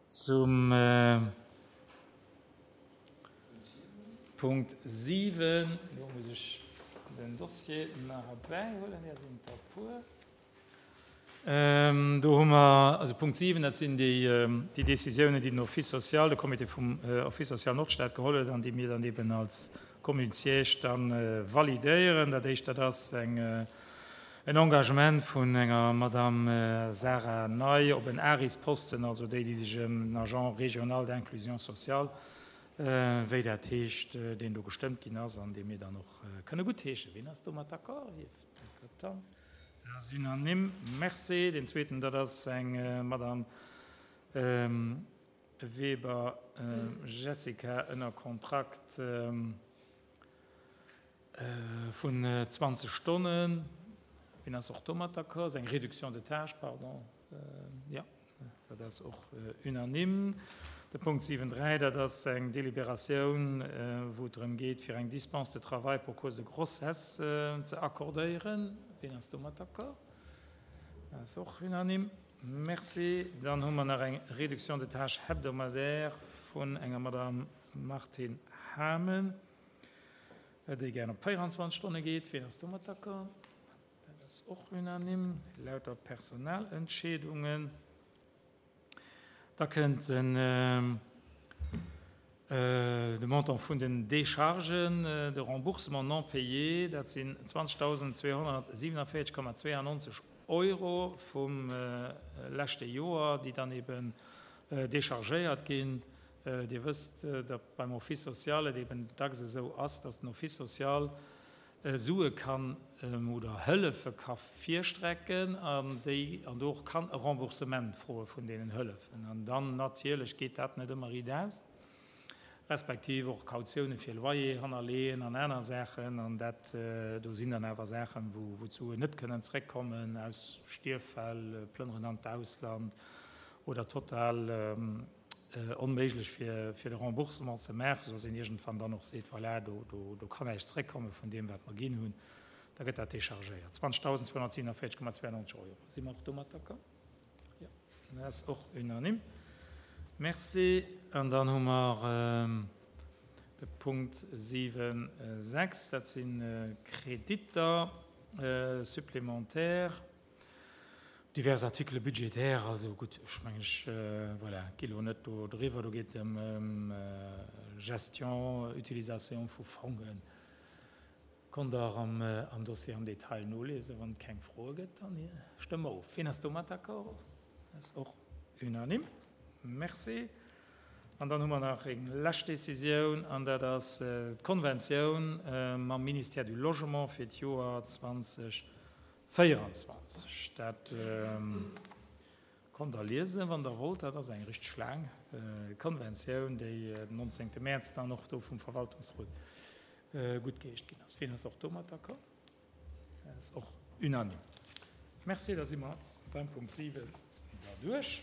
zum Punkt 7. Do muss ech den Dossier nach erbäihuelen, där sinn der e puer. Do hu mer also Punkt 7, dat sinn déi Décisiounen, déi den Office social, de Comité vum Office social Nordstad geholl huet an déi mir dann eben als Commune siège da validéieren. Dat éischt, dat ass eng, en Engagement vun enger Madame Sarah Ney op en ARIS-Posten, also déi, déi sech ëm den Agent régional d'inclusion sociale, wéi dat heescht, deen do gestëmmt ginn ass an dee mir dann och kënne guttheeschen. Wien ass domat d'accord? Hieft d'Hand. Dat ass unanime. Merci. Deen zweeten, dat ass eng Madame Weber Jessica ënner Kontrakt vun 20 Stonnen. Wien ass och domat d'accord? Ass eng Réduction de tâches, pardon. Jo. Dat ass och unanime. De Punkt 7.3, dat ass eng Deliberatioun, wou et drëm geet, fir eng Dispense de travail pour cause de grossesse ze accordéieren. Wien ass domat d'accord? Dat ass och unanime. Merci. Dann hu mer nach eng Réduction de tâches hebdomadaire vun enger Madame Martine Hamen, déi gären op 24 Stonne geet. Wien ass domat d'accord? Dat ass och unanime, lauter Personalentscheedungen. Da kënnt den de Montant vun den Déchargen, de Remboursement non payé, dat sinn 20.247,92 Euro vum leschte Joer, déi dann eben déchargéiert ginn. Dir wësst, datt beim Office social et eben dacks esou ass, datt den Office social Sue kann oder Hëllefe ka virstrecken an déi an do och kann e Remboursement froe vun deenen Hëllefen. An dann natierlech geet dat net ëmmer riit aus, respektiv och Kautioune fir Loyer hannerleeën an aner Saachen. An dat do sinn dann awer Saachen, wou wou d'Suen net kënnen zréckkommen aus Stierffäll, Plënneren an d'Ausland oder total onméiglech fir fir de Remboursement ze maachen, soudass een iergendwann dann och seet, voilà, do do do kann näischt zréckkomme vun deem, wat mer ginn hunn, da gëtt dat déchargéiert. 20.247,92 Euro. Si mer och domat d'accord? Jo, dat ass och unanime. Merci. An dann hu mer de Punkt 7,6, dat si Kreditter supplémentaires. Divers Articles budgétaires, also gutt, ech mengen, ech, voilà, gi lo net do driwwer, do geet et ëm Gestion, Utilisation vu Fongen. Konnt Der am Dossier am Detail noliesen. Wann et keng Froe gëtt, dann stëmme mer of. Wien ass domat d'accord? Dat ass och unanime. Merci. An dann hu mer nach eng lescht Décisioun, an dat ass d'Konventioun mam Ministère du Logement fir d'Joer 20. 24. Dat konnt Der liesen, wann Der wollt. Dat ass eng richteg laang Konventioun, déi den 19. Mäerz dann och do vum Verwaltungsrot guttgeheescht ginn ass. Wien ass och domat d'accord? Dat ass och unanime. Merci, da si mer beim Punkt 7 derduerch.